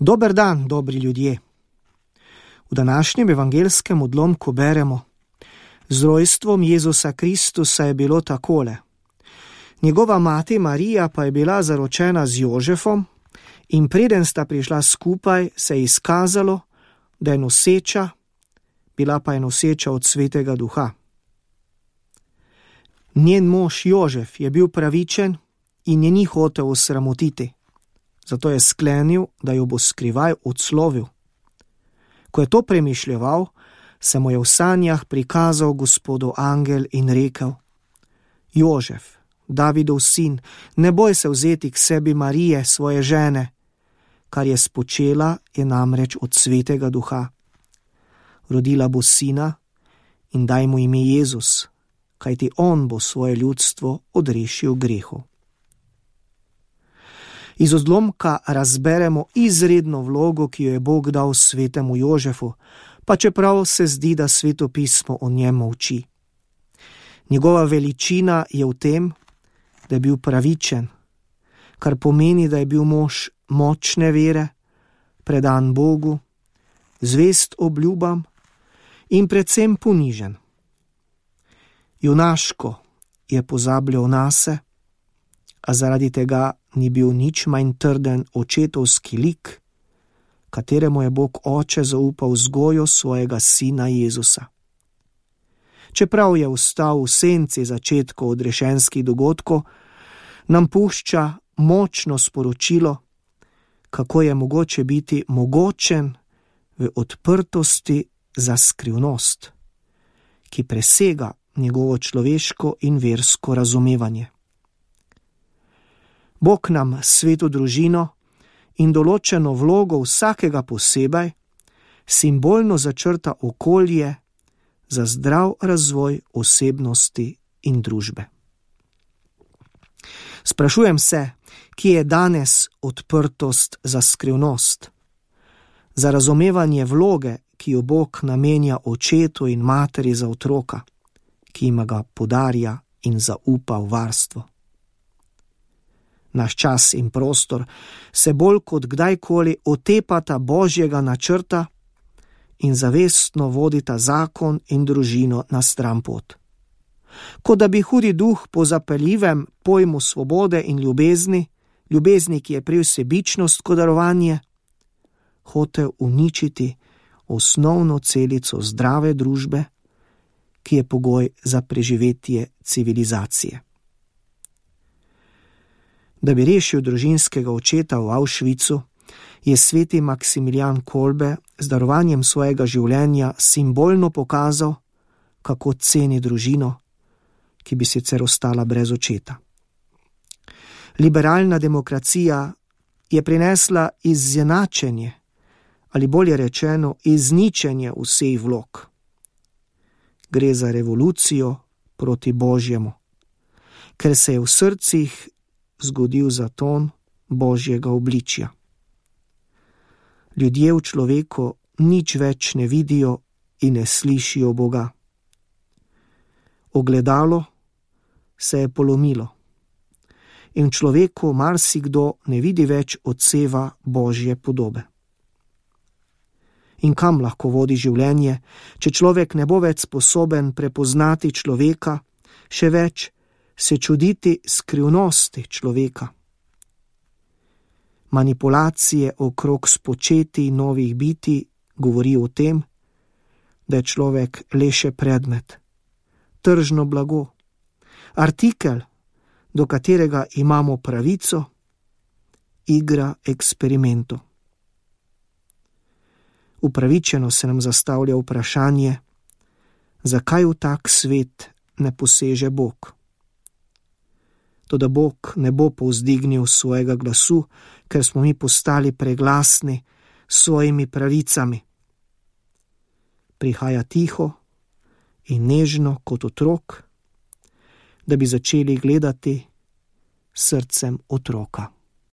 Dober dan, dobri ljudje. V današnjem evangelskem odlomku beremo: z rojstvom Jezusa Kristusa je bilo takole. Njegova mati Marija pa je bila zaročena z Jožefom in preden sta prišla skupaj, se je izkazalo, da je noseča, bila pa je noseča od Svetega Duha. Njen mož Jožef je bil pravičen in je ni hotel osramotiti, zato je sklenil, da jo bo skrivaj odslovil. Ko je to premišljeval, se mu je v sanjah prikazal Gospodov angel in rekel: Jožef, Davidov sin, ne boj se vzeti k sebi Marije, svoje žene, kar je spočela, je namreč od Svetega Duha. Rodila bo sina in daj mu ime Jezus, kajti on bo svoje ljudstvo odrešil grehu. Iz odlomka razberemo izredno vlogo, ki jo je Bog dal svetemu Jožefu, pa čeprav se zdi, da Sveto pismo o njem molči. Njegova veličina je v tem, da je bil pravičen, kar pomeni, da je bil mož močne vere, predan Bogu, zvest obljubam in predvsem ponižen. Junaško je pozabljal nase, a zaradi tega ni bil nič manj trden očetovski lik, kateremu je Bog oče zaupal vzgojo svojega sina Jezusa. Čeprav je ostal v senci začetkov odrešenskih dogodkov, nam pušča močno sporočilo, kako je mogoče biti mogočen v odprtosti za skrivnost, ki presega njegovo človeško in versko razumevanje. Bog nam sveto družino in določeno vlogo vsakega posebej simbolno začrta okolje za zdrav razvoj osebnosti in družbe. Sprašujem se, kje je danes odprtost za skrivnost, za razumevanje vloge, ki jo Bog namenja očetu in materi za otroka, ki jima ga podarja in zaupa v varstvo. Naš čas in prostor se bolj kot kdajkoli otepata Božjega načrta in zavestno vodita zakon in družino na stran pot. Kot da bi hudi duh po zapeljivem pojmu svobode in ljubezni, ki je prej sebičnost kot darovanje, hotel uničiti osnovno celico zdrave družbe, ki je pogoj za preživetje civilizacije. Da bi rešil družinskega očeta v Auschwitzu, je sveti Maksimilijan Kolbe z darovanjem svojega življenja simbolno pokazal, kako ceni družino, ki bi sicer ostala brez očeta. Liberalna demokracija je prinesla izenačenje, ali bolje rečeno izničenje vseh vlog. Gre za revolucijo proti Božjemu, ker se je v srcih zgodil zaton Božjega obličja. Ljudje v človeku nič več ne vidijo in ne slišijo Boga. Ogledalo se je polomilo in v človeku marsikdo ne vidi več odseva Božje podobe. In kam lahko vodi življenje, če človek ne bo več sposoben prepoznati človeka, še več se čuditi skrivnosti človeka. Manipulacije okrog spočetij novih bitij govori o tem, da je človek le še predmet, tržno blago, artikel, do katerega imamo pravico, igra eksperimentov. Upravičeno se nam zastavlja vprašanje, zakaj v tak svet ne poseže Bog. Toda Bog ne bo povzdignil svojega glasu, ker smo mi postali preglasni s svojimi pravicami. Prihaja tiho in nežno kot otrok, da bi začeli gledati srcem otroka.